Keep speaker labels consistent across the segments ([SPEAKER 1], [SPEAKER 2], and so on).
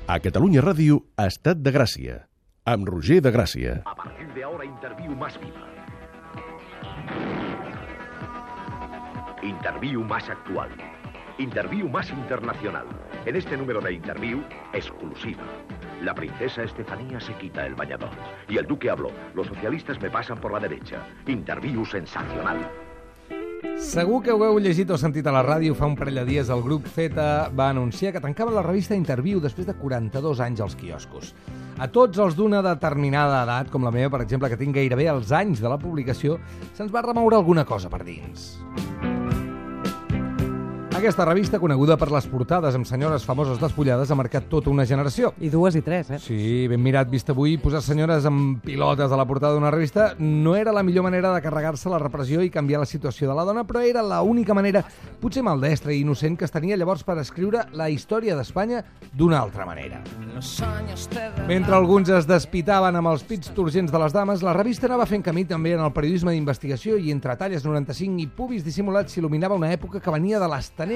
[SPEAKER 1] A Catalunya Ràdio, Estat de Gràcia, amb Roger de Gràcia.
[SPEAKER 2] A partir de ahora, Interview más viva. Interview más actual. Interview más internacional. En este número de Interview, exclusiva. La princesa Estefanía se quita el bañador. Y el duque habló. Los socialistas me pasan por la derecha. Interview sensacional.
[SPEAKER 3] Segur que ho heu llegit o sentit a la ràdio. Fa un parell de dies el grup Zeta va anunciar que tancava la revista Interview després de 42 anys als quioscos. A tots els d'una determinada edat, com la meva, per exemple, que tinc gairebé els anys de la publicació, se'ns va remoure alguna cosa per dins. Aquesta revista, coneguda per les portades amb senyores famoses despullades, ha marcat tota una generació.
[SPEAKER 4] I dues i tres,
[SPEAKER 3] Sí, ben mirat, vist avui, posar senyores amb pilotes a la portada d'una revista no era la millor manera de carregar-se la repressió i canviar la situació de la dona, però era l'única manera, potser maldestra i innocent, que es tenia llavors per escriure la història d'Espanya d'una altra manera. Mentre alguns es despitaven amb els pits turgents de les dames, la revista anava fent camí també en el periodisme d'investigació i entre talles 95 i pubis dissimulats s'il·luminava una època que venia de les tenebres.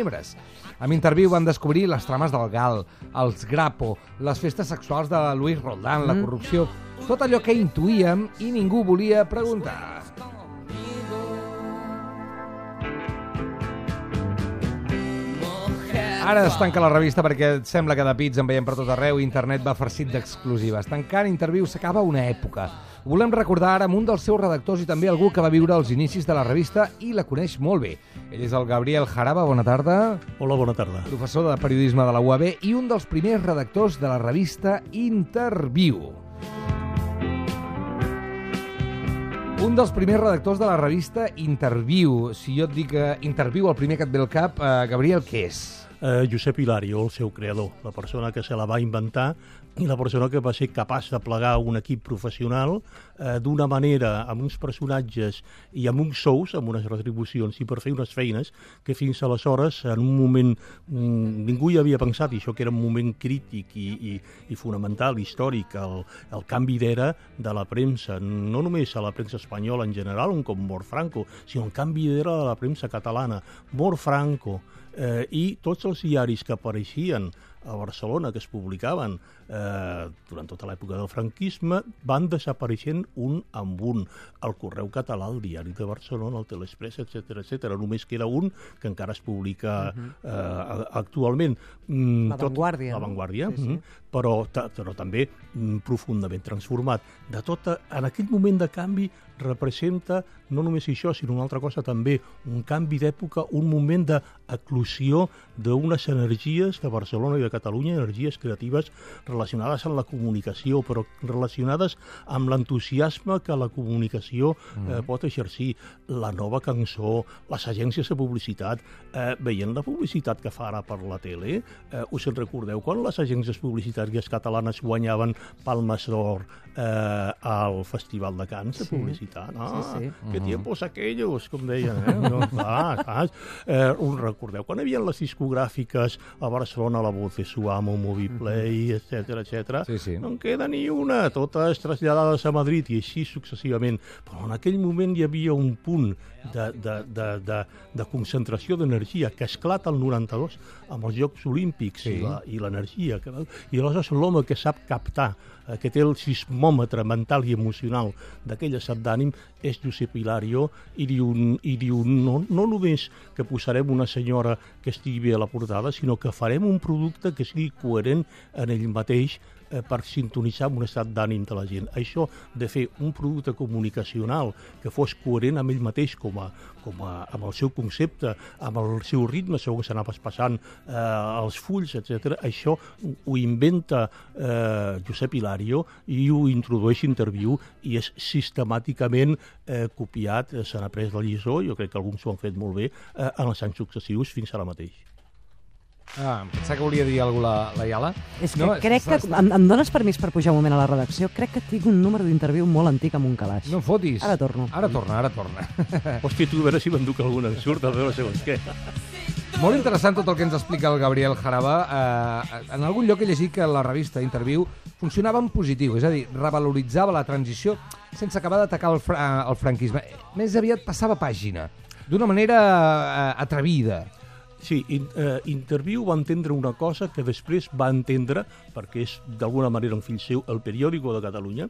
[SPEAKER 3] Amb Interview van descobrir les trames del Gal, els Grapo, les festes sexuals de Luis Roldán, la corrupció, tot allò que intuïem i ningú volia preguntar. Ara es tanca la revista perquè sembla que de pits en veiem per tot arreu i internet va farcit d'exclusives. Tancant Interview s'acaba una època. Ho volem recordar ara amb un dels seus redactors i també algú que va viure els inicis de la revista i la coneix molt bé. Ell és el Gabriel Jaraba, bona tarda.
[SPEAKER 5] Hola, bona tarda.
[SPEAKER 3] Professor de periodisme de la UAB i un dels primers redactors de la revista Interview. Un dels primers redactors de la revista Interview. Si jo et dic Interview, el primer que et ve al cap, Gabriel, què és?
[SPEAKER 5] Josep Hilario, el seu creador, la persona que se la va inventar i la persona que va ser capaç de plegar un equip professional d'una manera, amb uns personatges i amb uns sous, amb unes retribucions i per fer unes feines que fins aleshores, en un moment, ningú hi havia pensat, i això que era un moment crític i fonamental, històric, el canvi d'era de la premsa, no només a la premsa espanyola en general, com mor Franco, sinó el canvi d'era de la premsa catalana, mor Franco, i tots els diaris que apareixien a Barcelona, que es publicaven durant tota l'època del franquisme, van desapareixent un amb un. El Correu Català, el Diari de Barcelona, el Telexpress, etc. Només queda un que encara es publica actualment.
[SPEAKER 4] La Vanguardia.
[SPEAKER 5] La Vanguardia, sí. Però també profundament transformat. En aquell moment de canvi representa no només això, sinó una altra cosa també, un canvi d'època, un moment d'eclosió d'unes energies de Barcelona i de Catalunya, energies creatives relacionades amb la comunicació, però relacionades amb l'entusiasme que la comunicació pot exercir. La nova cançó, les agències de publicitat, veient la publicitat que fa ara per la tele, us en recordeu quan les agències publicitàries catalanes guanyaven Palmes d'Or al Festival de Cants de publicitat?
[SPEAKER 4] Sí.
[SPEAKER 5] Que tiempos aquellos, com deien, us recordeu quan hi havia les discogràfiques a Barcelona, La Voz de su Amo, Moviplay, etc.
[SPEAKER 3] Sí.
[SPEAKER 5] No en queda ni una, totes traslladades a Madrid i així successivament. Però en aquell moment hi havia un punt de concentració d'energia que esclata el 92 amb els Jocs Olímpics i l'energia. I aleshores l'home que sap captar, que té el sismòmetre mental i emocional d'aquell estat d'ànim, és Josep Hilario, i diu no només que posarem una senyora que estigui bé a la portada, sinó que farem un producte que sigui coherent en ell mateix per sintonitzar amb un estat d'ànim de la gent. Això de fer un producte comunicacional que fos coherent amb ell mateix amb el seu concepte, amb el seu ritme, segur que s'anava passant els fulls, etc. Això ho inventa Josep Hilario i ho introdueix Interview i és sistemàticament copiat, s'han après la lliçó, jo crec que alguns ho han fet molt bé, en els anys successius fins ara mateix.
[SPEAKER 3] Pensava que volia dir alguna cosa la Iala.
[SPEAKER 4] És que crec que em dones permís per pujar un moment a la redacció? Crec que tinc un número d'Interview molt antic amb un calaix.
[SPEAKER 3] No em fotis.
[SPEAKER 4] Ara torno.
[SPEAKER 3] Ara torna.
[SPEAKER 5] Hòstia, tu a veure si m'enduc alguna en surt, a veure segons què.
[SPEAKER 3] Molt interessant tot el que ens explica el Gabriel Jaraba. En algun lloc he llegit que la revista Interview funcionava en positiu, és a dir, revaloritzava la transició sense acabar d'atacar el franquisme. Més aviat passava pàgina, d'una manera atrevida.
[SPEAKER 5] Sí, Interviu va entendre una cosa que després va entendre, perquè és d'alguna manera un fill seu, el Periòdico de Catalunya,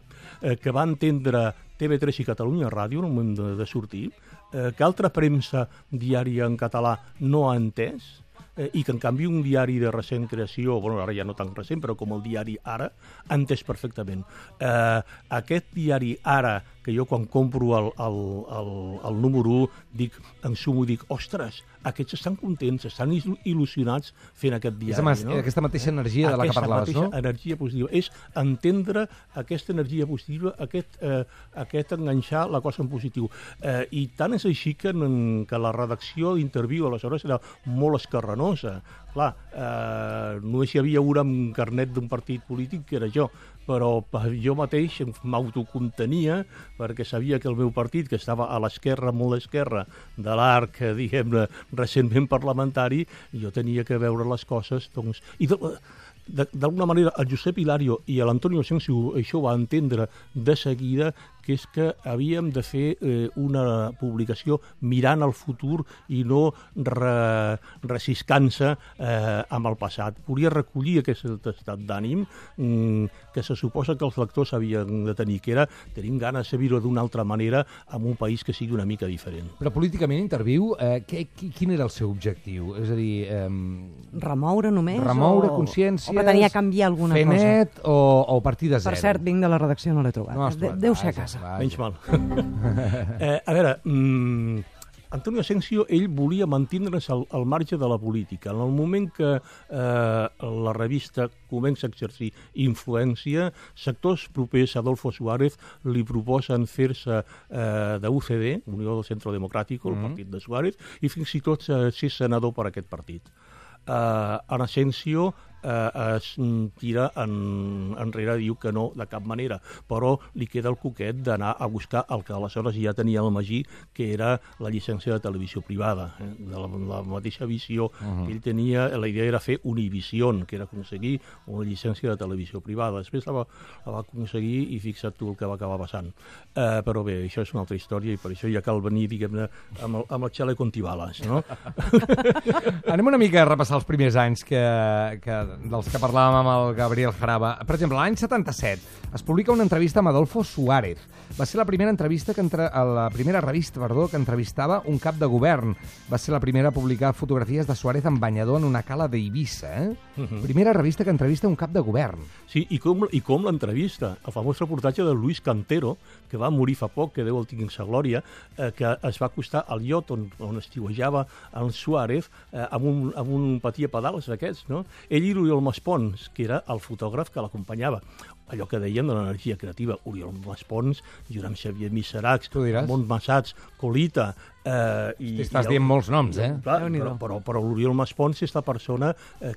[SPEAKER 5] que va entendre TV3 i Catalunya Ràdio en el moment de sortir, que altra premsa diària en català no ha entès, i que en canvi un diari de recent creació, bueno, ara ja no tan recent, però com el diari Ara, ha entès perfectament. Aquest diari Ara, que jo quan compro el número 1, en sumo dic, ostres, aquests estan contents, estan il·lusionats fent aquest diari.
[SPEAKER 3] És aquesta mateixa energia de la que parlaves, no?
[SPEAKER 5] Aquesta energia positiva. És entendre aquesta energia positiva, aquest enganxar la cosa en positiu. I tant és així que la redacció d'Interviu aleshores era molt escarrenosa. Clar, només hi havia una amb carnet d'un partit polític, que era jo, però jo mateix m'autocontenia perquè sabia que el meu partit, que estava a l'esquerra, molt a l'esquerra de l'arc, diguem-ne, recentment parlamentari, jo tenia que veure les coses, doncs... I d'alguna manera el Josep Hilario i l'Antonio Asensio això va entendre de seguida, que és que havíem de fer una publicació mirant al futur i no reciscant-se amb el passat. Volia recollir aquest estat d'ànim que se suposa que els lectors havien de tenir, que era tenim ganes de viure d'una altra manera en un país que sigui una mica diferent.
[SPEAKER 3] Però políticament Interviu, quin era el seu objectiu? És a dir...
[SPEAKER 4] Remoure només?
[SPEAKER 3] Remoure consciències...
[SPEAKER 4] O pretenia canviar alguna cosa?
[SPEAKER 3] Fer net o partir de zero?
[SPEAKER 4] Per cert, vinc de la redacció, no l'he trobat. Deu ser a casa.
[SPEAKER 5] Menys mal. A veure, Antonio Asensio, ell volia mantindre's al marge de la política. En el moment que la revista comença a exercir influència, sectors propers a Adolfo Suárez li proposen fer-se d'UCD, Unió del Centro Democrático, el partit de Suárez, i fins i tot ser senador per aquest partit. En Asensio es tira enrere, diu que no, de cap manera, però li queda el coquet d'anar a buscar el que aleshores ja tenia el Magí, que era la llicència de televisió privada, de la mateixa visió que ell tenia. La idea era fer Univision, que era aconseguir una llicència de televisió privada. Després la va aconseguir i fixa't tu el que va acabar passant. Però bé, això és una altra història i per això ja cal venir, diguem-ne, amb el xale Contibales, no?
[SPEAKER 3] Anem una mica a repassar els primers anys dels que parlàvem amb el Gabriel Jaraba. Per exemple, l'any 77 es publica una entrevista amb Adolfo Suárez. Va ser la primera revista que entrevistava un cap de govern. Va ser la primera a publicar fotografies de Suárez en banyador en una cala d'Eivissa. Primera revista que entrevista un cap de govern.
[SPEAKER 5] Sí, i com l'entrevista. El famós reportatge de Luis Cantero, que va morir fa poc, que Déu el tingui en sa glòria, que es va acostar al iot on estiuejava el Suárez amb un patí a pedals d'aquests, no? Ell i l'Oriol Maspons, que era el fotògraf que l'acompanyava. Allò que dèiem de l'energia creativa. Oriol Maspons, Joan Xavier Miseracs, Ramon Massats, Colita...
[SPEAKER 3] Estàs dient molts noms, eh?
[SPEAKER 5] Clar, però l'Oriol Maspons és la persona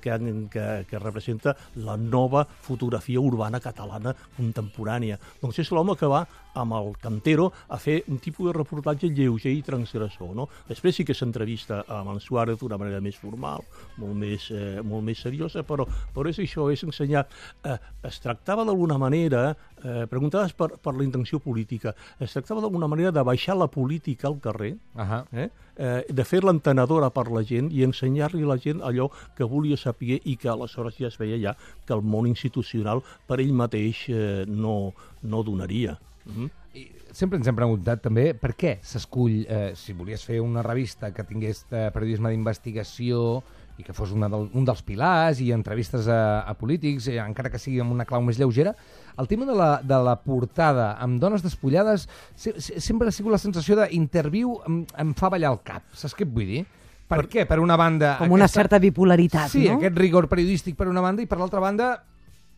[SPEAKER 5] que representa la nova fotografia urbana catalana contemporània. Doncs és l'home que va amb el Cantero a fer un tipus de reportatge lleuger i transgressor, no? Després sí que s'entrevista amb en Suárez d'una manera més formal, molt més seriosa, però és això, és ensenyar. Es tractava d'alguna manera, preguntaves per la intenció política, es tractava d'alguna manera de baixar la política al carrer, de fer-la entenedora per la gent i ensenyar-li a la gent allò que volia saber i que aleshores ja es veia ja que el món institucional per ell mateix no donaria.
[SPEAKER 3] I sempre ens hem preguntat també per què s'escull, si volies fer una revista que tingués periodisme d'investigació i que fos un dels pilars i entrevistes a polítics, encara que sigui amb una clau més lleugera, el tema de la portada amb dones despullades sempre ha sigut la sensació d'Interviu em fa ballar el cap. Saps què et vull dir? Per què? Per una banda...
[SPEAKER 4] Com una certa bipolaritat,
[SPEAKER 3] no? Sí,
[SPEAKER 4] no?
[SPEAKER 3] aquest rigor periodístic per una banda i per l'altra banda...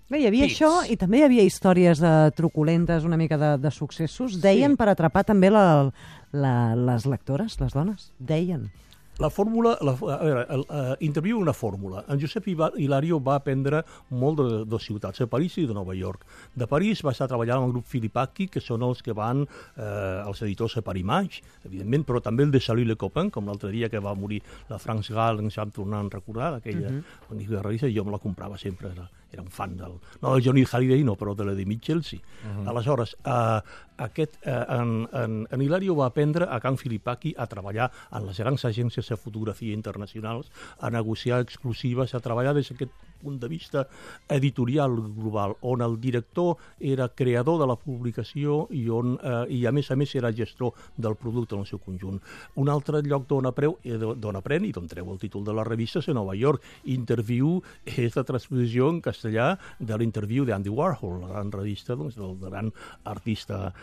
[SPEAKER 4] Bé, hi havia això i també hi havia històries truculentes, una mica de successos. Deien per atrapar també les lectores, les dones. Deien.
[SPEAKER 5] La fórmula, a veure, Interviu una fórmula. En Josep Hilario va aprendre molt de dues ciutats, de París i de Nova York. De París va estar treballant amb el grup Filipacchi, que són els que van, els editors de Paris Match, evidentment, però també el de Salut Le Copain, com l'altre dia que va morir la France Gall, ens vam tornar a recordar d'aquella magnífica revista, i jo me la comprava sempre, era un fan no del Johnny Hallyday, no, però de la de Mitchell, sí. Aleshores, en Hilario va aprendre a Can Filipaki a treballar en les grans agències de fotografia internacionals, a negociar exclusives, a treballar des d'aquest punt de vista editorial global, on el director era creador de la publicació i a més era gestor del producte en el seu conjunt. Un altre lloc d'on aprèn i d'on treu el títol de la revista és a Nova York. Interview és la transposició en castellà de l'interview d'Andy Warhol, la gran revista del gran artista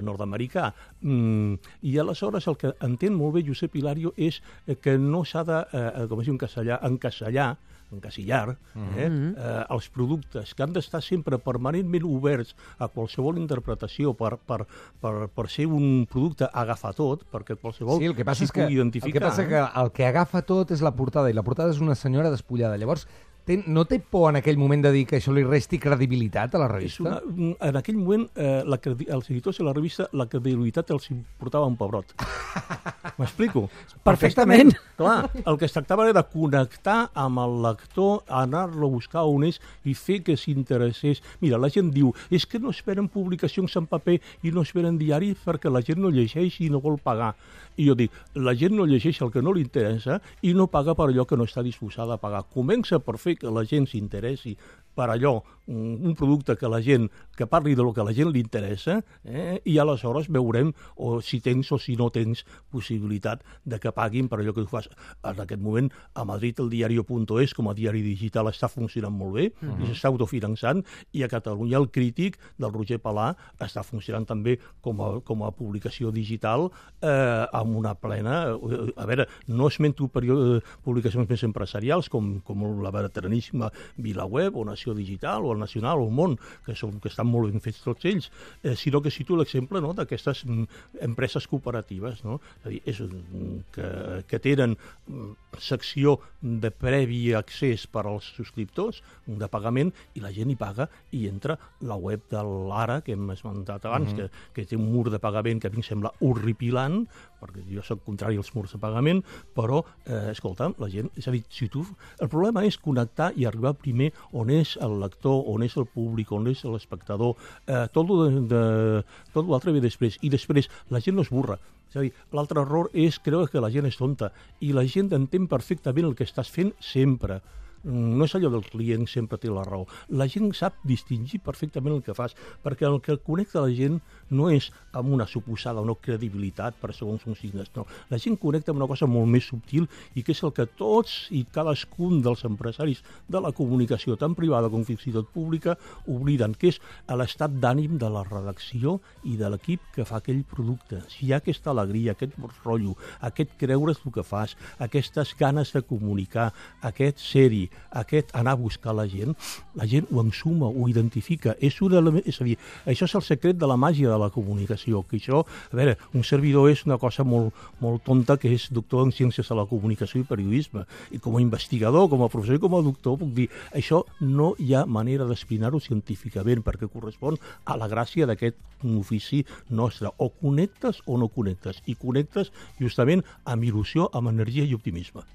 [SPEAKER 5] nord-americà. I aleshores el que entén molt bé Josep Hilario és que no s'ha de, com es diu en castellà, encasillar els productes, que han d'estar sempre permanentment oberts a qualsevol interpretació per ser un producte agafatot, perquè qualsevol s'hi pugui identificar.
[SPEAKER 3] El que passa que el que agafa tot és la portada, i la portada és una senyora despullada. Llavors, no té por en aquell moment de dir que això li resti credibilitat a la revista?
[SPEAKER 5] En aquell moment, els editors de la revista, la credibilitat els importava un pebrot. M'explico?
[SPEAKER 4] Perfectament.
[SPEAKER 5] Clar, el que es tractava era de connectar amb el lector, anar-lo a buscar on és i fer que s'interessés. Mira, la gent diu, és que no esperen publicacions en paper i no esperen diaris perquè la gent no llegeix i no vol pagar. I jo dic, la gent no llegeix el que no li interessa i no paga per allò que no està disposada a pagar. Comença per fer que la gent s'interessi per allò, un producte que parli del que a la gent li interessa, i aleshores veurem si tens o si no tens possibilitat de que paguin per allò que tu fas. En aquest moment, a Madrid, el diario.es, com a diari digital, està funcionant molt bé, i s'està autofinançant, i a Catalunya el Crític, del Roger Palà, està funcionant també com a publicació digital, amb una plena... A veure, no esmento publicacions més empresarials, com la veteraníssima VilaWeb, o Nació Digital, o el Nacional, o el Món, que estan molt ben fets tots ells, sinó que cito l'exemple d'aquestes empreses cooperatives, no? És a dir, que tenen secció de previ accés per als subscriptors, de pagament, i la gent hi paga i entra la web de l'Ara, que hem esmentat abans, que té un mur de pagament que a mi em sembla horripilant, perquè jo soc contrari als murs de pagament, però, escolta, la gent... És a dir, el problema és connectar i arribar primer on és el lector, on és el públic, on és l'espectador, tot l'altre ve després, i després la gent no es burra. És a dir, l'altre error és creure que la gent és tonta, i la gent entén perfectament el que estàs fent sempre. No és allò del client sempre té la raó. La gent sap distingir perfectament el que fas, perquè el que connecta la gent no és amb una suposada o no credibilitat per segons uns signes, no. La gent connecta amb una cosa molt més subtil i que és el que tots i cadascun dels empresaris de la comunicació, tant privada com fins i tot pública, obliden, que és l'estat d'ànim de la redacció i de l'equip que fa aquell producte. Si hi ha aquesta alegria, aquest rotllo, aquest creure's el que fas, aquestes ganes de comunicar, aquest ser-hi, aquest anar a buscar la gent ho ensuma, ho identifica. És a dir, això és el secret de la màgia de la comunicació, que això, a veure, un servidor és una cosa molt, molt tonta, que és doctor en ciències de la comunicació i periodisme, i com a investigador, com a professor i com a doctor puc dir, això no hi ha manera d'explicar-ho científicament, perquè correspon a la gràcia d'aquest ofici nostre. O connectes o no connectes, i connectes justament amb il·lusió, amb energia i optimisme.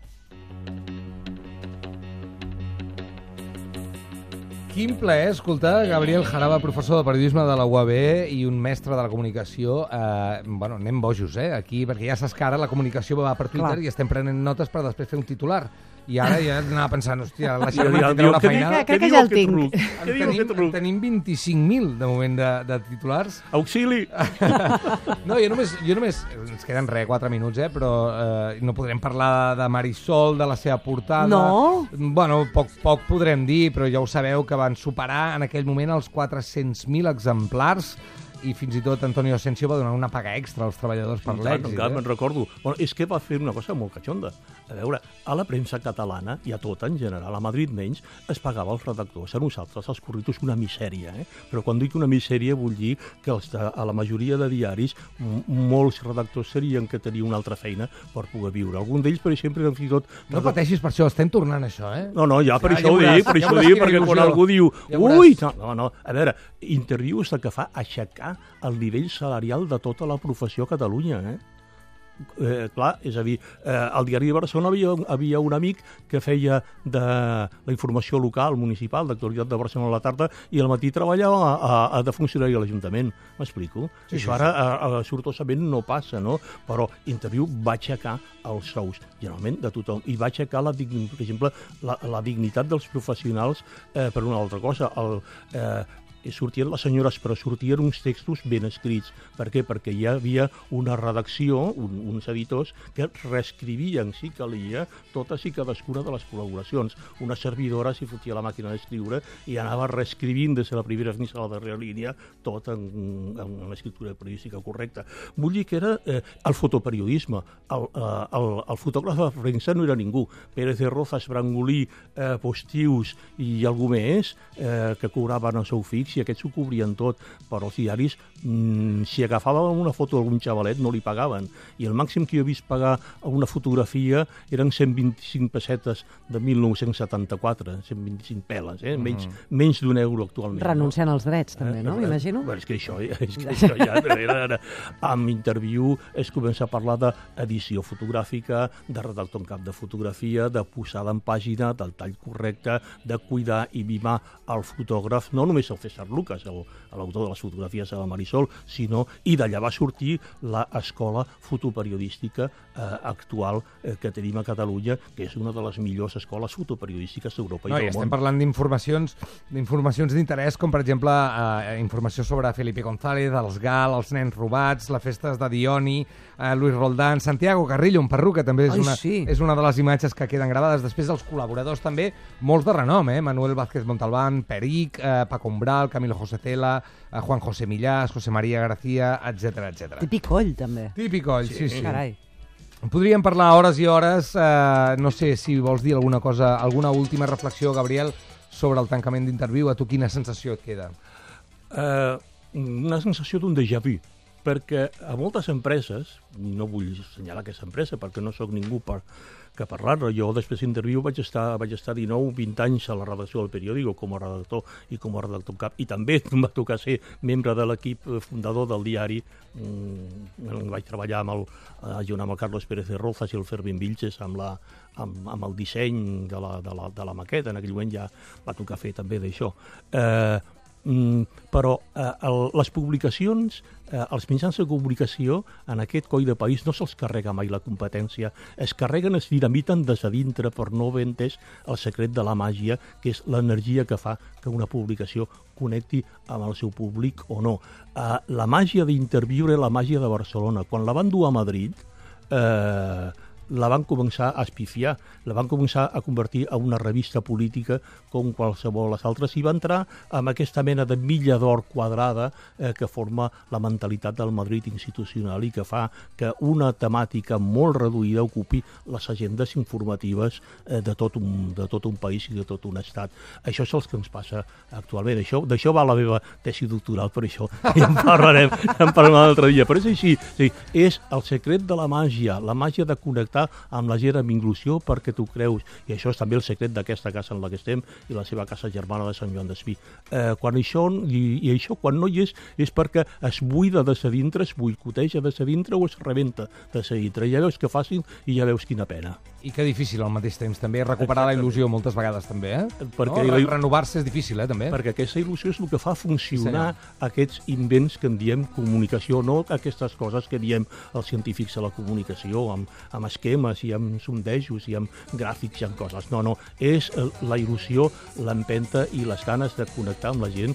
[SPEAKER 3] Quin plaer escoltar Gabriel Jaraba, professor de periodisme de la UAB i un mestre de la comunicació. Anem bojos, aquí, perquè ja saps que ara la comunicació va per Twitter i estem prenent notes per després fer un titular. I ara ja anava pensant, hòstia, la Xavier tindrà una feinada.
[SPEAKER 4] Crec que ja el tinc.
[SPEAKER 3] Tenim 25.000 de moment de titulars.
[SPEAKER 5] Auxili!
[SPEAKER 3] No, jo només... Ens queden 4 minuts, però no podrem parlar de Marisol, de la seva portada.
[SPEAKER 4] No?
[SPEAKER 3] Bueno, poc podrem dir, però ja ho sabeu que van superar en aquell moment els 400.000 exemplars, i fins i tot Antonio Asensio va donar una paga extra als treballadors per l'èxit.
[SPEAKER 5] Me'n recordo. Bueno, és que va fer una cosa molt catxonda. A veure, a la premsa catalana, i a tota en general, a Madrid menys, es pagava als redactors, a nosaltres, als curritus, una misèria. Però quan dic una misèria vull dir que a la majoria de diaris molts redactors serien que tenien una altra feina per poder viure. Algun d'ells, per exemple, eren fins i tot...
[SPEAKER 3] No pateixis per això, estem tornant això,
[SPEAKER 5] No, ja per això ho dic, perquè quan algú diu... Ui! No, a veure, Interview és el que fa aixecar el nivell salarial de tota la professió a Catalunya, clar, és a dir, al diari de Barcelona havia un amic que feia de la informació local, municipal, d'actualitat de Barcelona a la tarda, i al matí treballava de funcionari a l'Ajuntament. M'explico?
[SPEAKER 3] Sí,
[SPEAKER 5] Això ara, sortosament, no passa, no? Però Interviu va aixecar els sous, generalment, de tothom, i va aixecar, per exemple, la dignitat dels professionals per una altra cosa. Sortien les senyores, però sortien uns textos ben escrits. Per què? Perquè hi havia una redacció, uns editors, que reescrivien, si calia, totes i cadascuna de les col·laboracions. Una servidora s'hi fotia la màquina d'escriure i anava reescrivint des de la primera fins a la darrera línia, tot en una escriptura periodística correcta. Vull dir que era el fotoperiodisme. El fotògraf de premsa no era ningú. Pérez de Rozas, Brangolí, Postius i algú més que cobraven el seu fix, i aquests ho cobrien tot, però els diaris, si agafaven una foto d'algun xavalet, no li pagaven. I el màxim que jo he vist pagar una fotografia eren 125 pessetes de 1974, 125 peles, menys d'un euro actualment.
[SPEAKER 4] Renunciant als drets, també, no? M'imagino.
[SPEAKER 5] És que això ja era... Amb Interviu es comença a parlar d'edició fotogràfica, de redactor en cap de fotografia, de posada en pàgina, del tall correcte, de cuidar i mimar el fotògraf, no només el César Lucas, l'autor de les fotografies a la Marisol, sinó, i d'allà va sortir l'escola fotoperiodística actual que tenim a Catalunya, que és una de les millors escoles fotoperiodístiques d'Europa i del món.
[SPEAKER 3] Estem parlant d'informacions d'interès, com per exemple informació sobre Felipe González, els GAL, els nens robats, les festes de Dioni, Luis Roldán, Santiago Carrillo, un perruca, també és una de les imatges que queden gravades. Després els col·laboradors també, molts de renom, Manuel Vázquez Montalbán, Peric, Paco Umbral, Camilo José Cela, Juan José Millás, José María García, etc.
[SPEAKER 4] Típic coll, també.
[SPEAKER 3] Típic coll, sí.
[SPEAKER 4] Carai.
[SPEAKER 3] Podríem parlar hores i hores, no sé si vols dir alguna cosa, alguna última reflexió, Gabriel, sobre el tancament d'Interviu. A tu quina sensació et queda?
[SPEAKER 5] Una sensació d'un déjà vu, perquè a moltes empreses, no vull assenyalar aquesta empresa perquè no sóc ningú que parlar-ne, jo després d'Interviu vaig estar 19-20 anys a la redacció del periòdico com a redactor i com a redactor en cap, i també em va tocar ser membre de l'equip fundador del diari. Vaig treballar junt amb el Carlos Pérez de Rozas i el Fermín Vilches amb el disseny de la maqueta. En aquell moment ja va tocar fer també d'això. Però les publicacions, els mitjans de comunicació en aquest coll de país no se'ls carrega mai la competència, es carreguen, es dinamiten des de dintre per no haver entès el secret de la màgia, que és l'energia que fa que una publicació connecti amb el seu públic o no. La màgia d'Interviu era la màgia de Barcelona. Quan la van dur a Madrid, la van començar a espifiar, la van començar a convertir en una revista política com qualsevol les altres, i va entrar amb aquesta mena de milla d'or quadrada que forma la mentalitat del Madrid institucional i que fa que una temàtica molt reduïda ocupi les agendes informatives de tot un país i de tot un estat. Això és el que ens passa actualment. D'això va la meva tesi doctoral, per això ja en parlarem un altre dia. Però és així, és el secret de la màgia de connectar amb la gent amb inclusió perquè tu creus, i això és també el secret d'aquesta casa en la que estem i la seva casa germana de Sant Joan d'Espí. Quan això no hi és perquè es buida des de dintre, es boicoteja des de dintre o es rebenta des de dintre. Ja veus que fàcil i ja veus quina pena.
[SPEAKER 3] I que difícil al mateix temps també recuperar la il·lusió moltes vegades també,
[SPEAKER 5] Perquè
[SPEAKER 3] renovar-se és difícil, també.
[SPEAKER 5] Perquè aquesta il·lusió és el que fa funcionar aquests invents que en diem comunicació, no aquestes coses que diem els científics de la comunicació, amb esquemes i amb sondejos i amb gràfics i amb coses. No, és la il·lusió, l'empenta i les ganes de connectar amb la gent,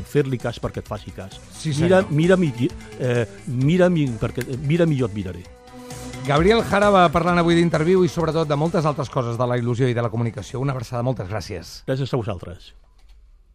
[SPEAKER 5] fer-li cas perquè et faci cas.
[SPEAKER 3] Sí,
[SPEAKER 5] mira millor et miraré.
[SPEAKER 3] Gabriel Jara va parlant avui d'Interviu i sobretot de moltes altres coses de la il·lusió i de la comunicació. Una abraçada, moltes gràcies.
[SPEAKER 5] Gràcies a vosaltres.